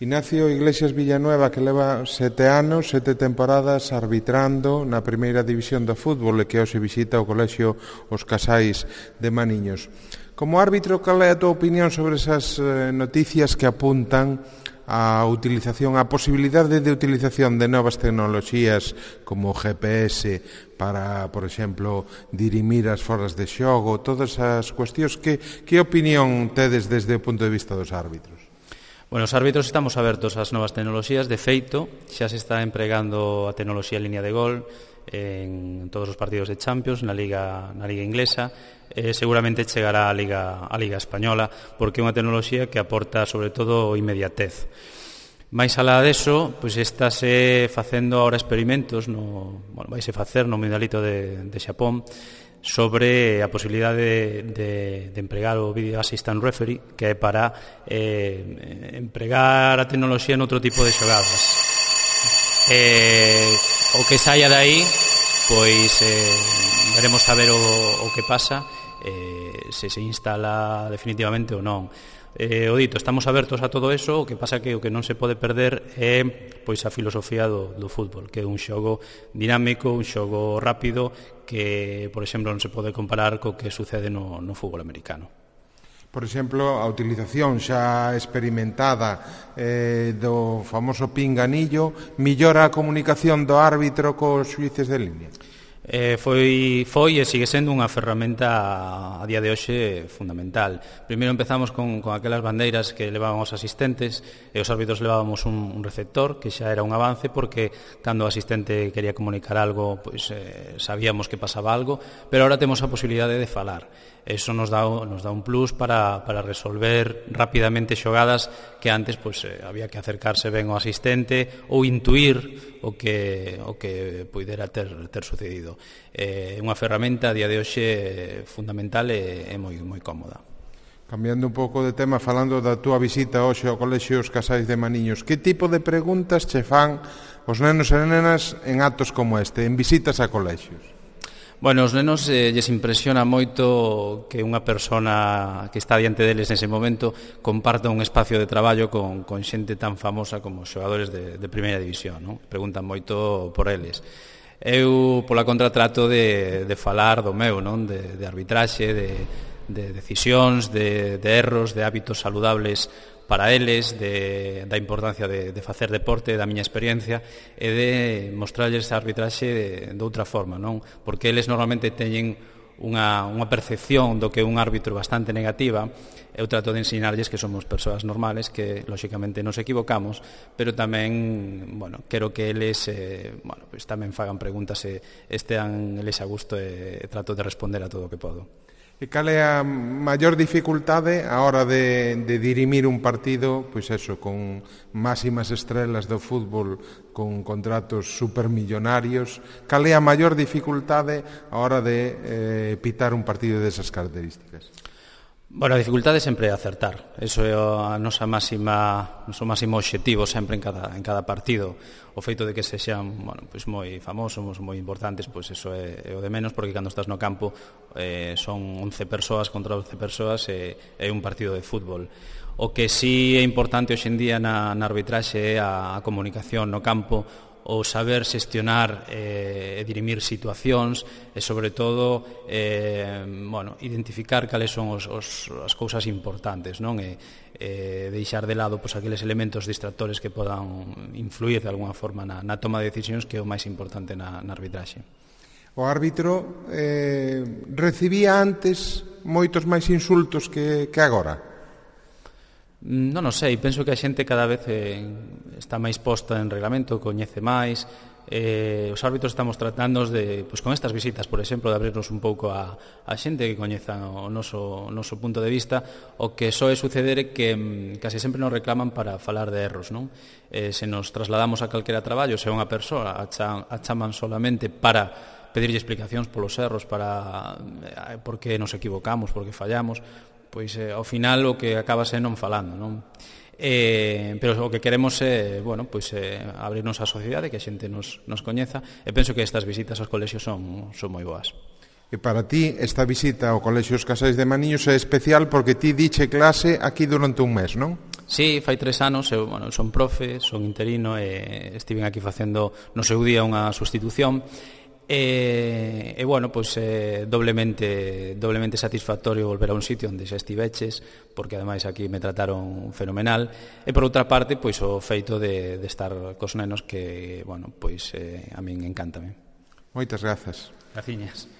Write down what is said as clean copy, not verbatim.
Ignacio Iglesias Villanueva, que leva 7 anos, 7 temporadas arbitrando na primeira división do fútbol e que hoxe visita o colexio Os Casais de Maniños. Como árbitro, cal é a tua opinión sobre esas noticias que apuntan a utilización, a posibilidade de utilización de novas tecnoloxías como o GPS para, por exemplo, dirimir as foras de xogo, todas as cuestións? Que opinión tedes desde o punto de vista dos árbitros? Bueno, os árbitros estamos abertos ás novas tecnoloxías. De feito, xa se está empregando a tecnoloxía en línea de gol en todos os partidos de Champions, na Liga inglesa. Seguramente chegará a Liga española, porque é unha tecnoloxía que aporta, sobre todo, inmediatez. Mais alá deso, pois estáse facendo agora experimentos, vaise facer no Mundialito de Xapón, sobre a posibilidade de empregar o Video Assistant Referee, que é para empregar a tecnoloxía noutro tipo de xogadas. O que saia dai, pois veremos a ver o que pasa, se instala definitivamente ou non. O dito, estamos abertos a todo eso. O que pasa que o que non se pode perder é pois a filosofía do fútbol, que é un xogo dinámico, un xogo rápido, que, por exemplo, non se pode comparar co que sucede no fútbol americano. Por exemplo, a utilización xa experimentada do famoso pinganillo millora a comunicación do árbitro cos xuíces de línea? Foi e sigue sendo unha ferramenta a día de hoxe fundamental. Primeiro empezamos con aquelas bandeiras que levaban os asistentes, e os árbitros levábamos un receptor, que xa era un avance, porque cando o asistente quería comunicar algo, pois sabíamos que pasaba algo, pero agora temos a posibilidade de falar. Eso nos dá un plus para resolver rapidamente xogadas que antes pois había que acercarse ben ao asistente ou intuir o que poidera ter sucedido. É unha ferramenta a día de hoxe fundamental e moi cómoda. Cambiando un pouco de tema, falando da túa visita hoxe ao colexio Os Casais de Maniños, que tipo de preguntas che fan os nenos e nenas en actos como este, en visitas a colexios? Bueno, os nenos lles impresiona moito que unha persona que está diante deles nese momento comparta un espacio de traballo con xente tan famosa como os xogadores de primeira división, non? Preguntan moito por eles. Eu, pola contra, trato de falar do meu, non? De arbitraxe, de decisións, de erros, de hábitos saludables para eles, da importancia de facer deporte, da miña experiencia, e de mostrarles a arbitraxe de outra forma, non? Porque eles normalmente teñen unha percepción do que é un árbitro bastante negativa. Eu trato de ensinarlles que somos persoas normales, que lóxicamente nos equivocamos, pero tamén, quero que eles pois tamén fagan preguntas e estean eles a gusto, e trato de responder a todo o que podo. E cal é a maior dificultade a hora de dirimir un partido, pois eso, con máximas estrelas do fútbol, con contratos supermillonarios? Cal é a maior dificultade a hora de pitar un partido desas características? Bueno, a dificultade sempre é acertar. Eso é o noso máximo obxectivo sempre en cada partido. O feito de que sexan pois moi famosos, moi importantes, pois eso é o de menos, porque cando estás no campo son 11 persoas contra 11 persoas e é un partido de fútbol. O que sí é importante hoxe en día na arbitraxe é a comunicación no campo, o saber xestionar e dirimir situacións, e sobre todo identificar cales son as cousas importantes, non? E deixar de lado pois aqueles elementos distractores que podan influir de alguna forma na toma de decisións, que é o máis importante na arbitraxe. O árbitro recibía antes moitos máis insultos que agora? Non sei, penso que a xente cada vez está máis posta en reglamento, coñece máis. Os árbitros estamos tratando con estas visitas, por exemplo, de abrirnos un pouco a xente que coñeza o noso punto de vista. O que soe suceder é que case sempre nos reclaman para falar de erros, non? Se nos trasladamos a calquera traballo, se unha persoa a chaman solamente para pedirlle explicacións polos erros, para por que nos equivocamos, por que fallamos, pois ao final o que acaba sendo non falando, non? Pero o que queremos é, abrirnos á sociedade, que a xente nos coñeza, e penso que estas visitas aos colexios son moi boas. E para ti esta visita ao colexio Os Casais de Maniños é especial porque ti diche clase aquí durante un mes, non? Sí, fai 3 anos, eu son profe, son interino e estiven aquí facendo no seu día unha sustitución e doblemente satisfactorio volver a un sitio onde xa estiveches, porque ademais aquí me trataron fenomenal, e por outra parte pois o feito de estar cos nenos que, a min encántame. Moitas grazas. Graciñas.